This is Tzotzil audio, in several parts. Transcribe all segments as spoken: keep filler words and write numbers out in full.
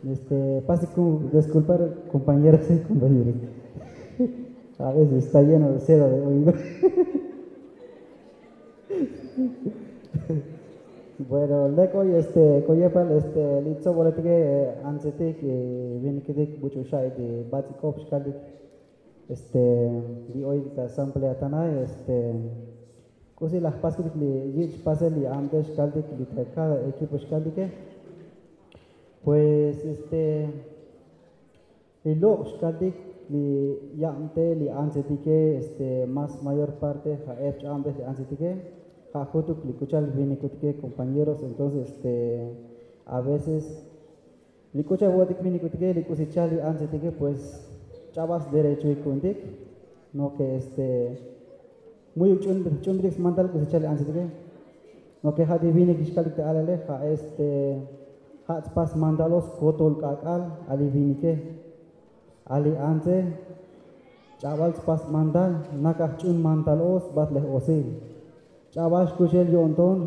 Este, pase con desculpar, compañeras y compañeros. A veces está lleno de seda de oído. Bueno, lek oy este koyepal este litzo boletike, antzetik, viniketik buch'u xa'i ti batz'ikop xkaltik. Este, li oy ta asamblea tanay este, k'usi laj paskutik li yich' pasel li amte xkaltik li ta cada equipo xkaltike. Pues este, li lok' xkaltik li yabte li antzetike este, más mayor parte ja' ep ch'abte li antzetike. Ja' jutuk li k'u cha'al vinikutike, compañeros. Entonces este, a veces li k'u cha'al vo'otik vinikutike, li k'usi cha'al li antzetike, pues ch'abal sderechoik ku'untik. No ke este, mu'yuk ch'unbetik smantal k'usi cha'al li antzetike. No ke ja' ti vinik xkaltik ta alale ja' este, ja' tspas smantalo skotol k'ak'al a li vinike. A li antze ch'abal tspas smantal, nakaj ch'un mantal o sbatlej osil. Ch'abal xkuxel yo'nton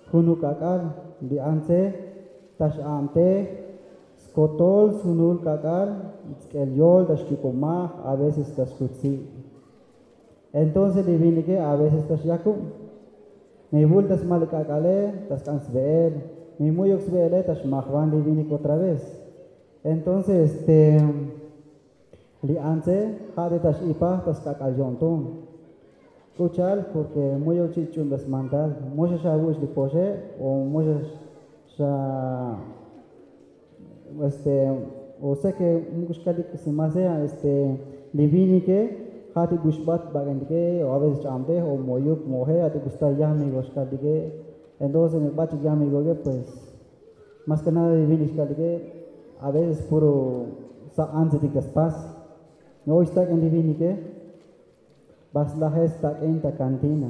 junuk k'ak'al. Li antze ta x'abtej skotol sjunul k'ak'al, tsk'el yol ta xyuk'omaj, a veces ta xjutsi'. Entonces li vinike a veces ta xyakub. Mi vul ta smal li k'ak'ale ta sk'an sve'el. Mi mu'yuk sve'ele ta xmajvan li vinik otra vez. Entonces este, li antze ja' ti ta x'ipaj ta sk'ak'al yo'nton. K'u cha'al? Porque mu'yuk chi' ch'un ta smantal, mo xa xavu'ux li poxe o mo xa xa este, o sea ke muk' xkaltik si más sea este, li vinike ja' ti buxbat bak'entike o a veces ch'abtej o mo'yuk mo'oje, ja' ti busta yamigo xkaltike. Entonces mi bach'ik yamigoke, pues más ke nada li vinik xkaltike a veces puro sa' antzetik ta spas. Mi oy stak'in li vinike, ba slaje stak'in ta kantina.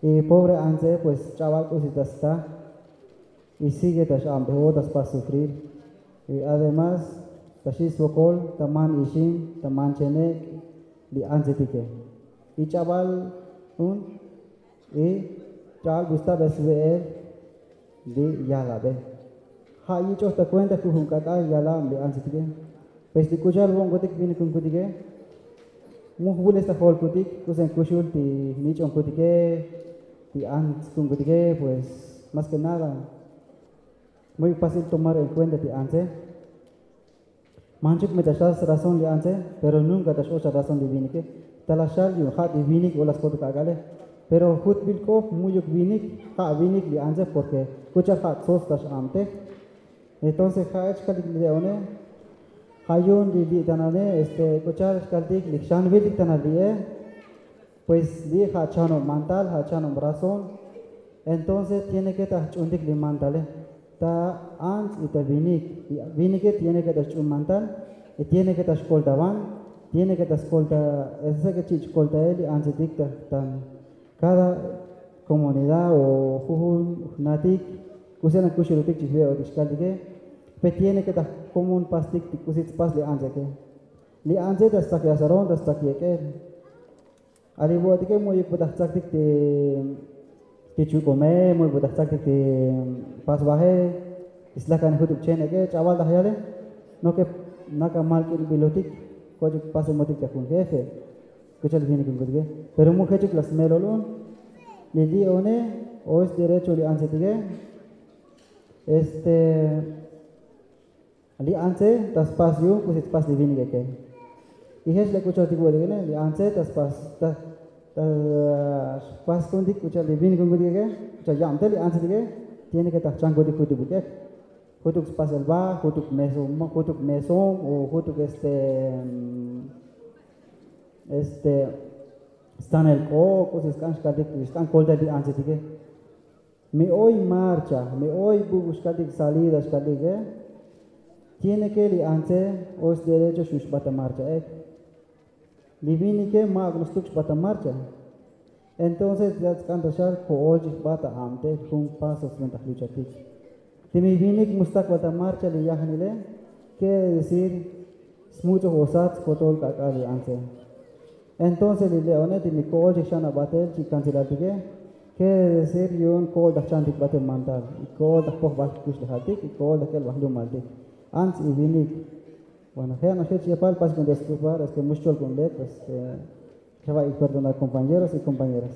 Y pobre antze pues ch'abal k'usi ta sta. Y sigue ta x'abtej o ta spas sufrir. Y además ta xi' svokol ta man ixim, ta man chenek' li antzetike. Y ch'abal un y ch'abal busta be sve'el li yalabe. Ja' yich'oj ta kuenta jujun k'ak'al yalab li antzetike. Pues li k'u cha'al vo'onkutike, vinikunkutike, mu jvules ta jolkutik k'usi kuxul ti nich'onkutike, ti antz ku'unkutike. Pues más ke nada mu'yuk pasil tomar en kuenta ti antze. Manchuk me ta xal srazón li antze, pero nunka ta x'och ta razón li vinike. Ta la xal yu'un ja' ti vinik o la skotuk ak'ale. Pero jutbil k'op mu'yuk vinik, ja' vinik li antze, porque k'u cha'al ja' tsots ta x'abtej. Entonces ja'ech xkaltik li le'one, ja' yu'un li li' tanane este, k'u cha'al xkaltik li jxanviltik tanal li'e. Pues li' ja' chanob mantal, ja' chanob razón. Entonces tiene ke ta jch'untik li mantale, ta antz y ta vinik. Li vinike tiene ke ta xch'un mantal, y tiene ke ta xkoltavan, tiene ke ta skolta, ese ke chi' chkoltael li antzetik ta tan cada comunidad o jujun jnatik, k'usi na kuxulotik chi jve'otik xkaltike. Pe tiene ke ta jkomon pastik ti k'usi tspas li antzeke. Li antze ta stsak yasaron, ta stsak yek'el. A li vo'otike mu'yuk bu ta jtsaktik ti ti chuk'ome, mu'yuk bu ta jtsaktik ti pasvaje, ti slakane jutuk chenek'e, ch'abal ta jyale. No ke naka mal k'inbilotik, koch'uk pasemotik ta jun jefe, k'u cha'al vinikunkutike. Pero mu jechuk la smelol un. Li li'one o sderecho li antzetike. Este, li antze ta spas yu'un k'usi tspas li vinikeke. Y jech le k'u cha'al tik vo'otikene, li antze ta spas ta ta spas ku'untik k'u cha'al li vinikunkutikeke, k'u cha'al yabtel li antzetike. Tiene ke ta jchankutik jutuk buk'ek, jutuk spasel ba, jutuk mesom, jutuk mesom o jutuk este, este, stanel k'o k'usi sk'an xkaltik, sk'an koltael li antzetike. Mi oy marcha, mi oy buk' xkaltik salida xkaltike. Tiene ke li antze o sderecho xu' xbat ta marchaek. Li vinike ma'uk no stuk xbat ta marcha. Entonces ya tsk'an ta xal ko'ol chik jbat ta abtel jun paso sventa jluchatik. Ti mi vinik mu stak bal ta marcha li yajnile, quiere decir smuch'oj o sat skotol k'ak'al li antze. Entonces li le'one ti mi ko'ol chik xan abatel chi' kantzelaltike, Kere decir yu'un ko'ol ta jchantik batel mandal, y ko'ol ta jpojbal jkuxlejaltik, y ko'ol ta k'el bajlumaltik. Ants y vinik. Bueno, je' noxech yepal paskon disculpar es ke mu xcholk'un lek, es ke jeva' y perdonar compañeros y compañeras.